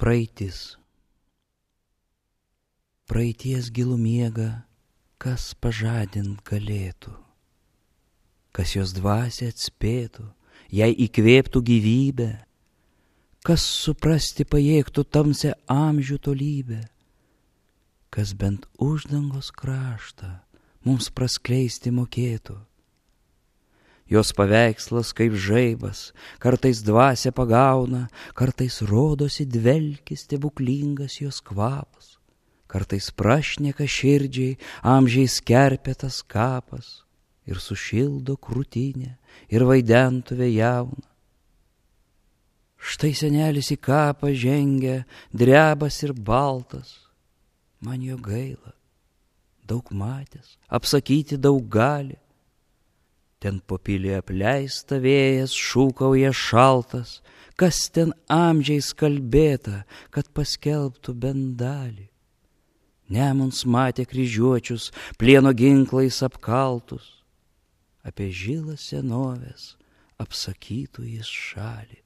Praeitis. Praeities gilų miegą, kas pažadint galėtų, kas jos dvasią atspėtų, jai įkvėptų gyvybę, kas suprasti pajėgtų tamsią amžių tolybę, kas bent uždangos kraštą mums praskleisti mokėtų. Jos paveikslas kaip žaibas, kartais dvasią pagauna, kartais rodosi dvelkis stebuklingas jos kvapas, kartais prašneka širdžiai amžiais kerpėtas kapas ir sušildo krūtinę ir vaidentuvę jauną. Štai senelis į kapą žengia, drebas ir baltas, man jo gaila, daug matęs, apsakyti daug gali. Ten po pilį apleista vėjas šūkauja šaltas, kas ten amžiais kalbėta, kad paskelbtų bent dalį. Nemuns matė kryžiuočius, plieno ginklais apkaltus, apie žilą senovės apsakytų jis šalį.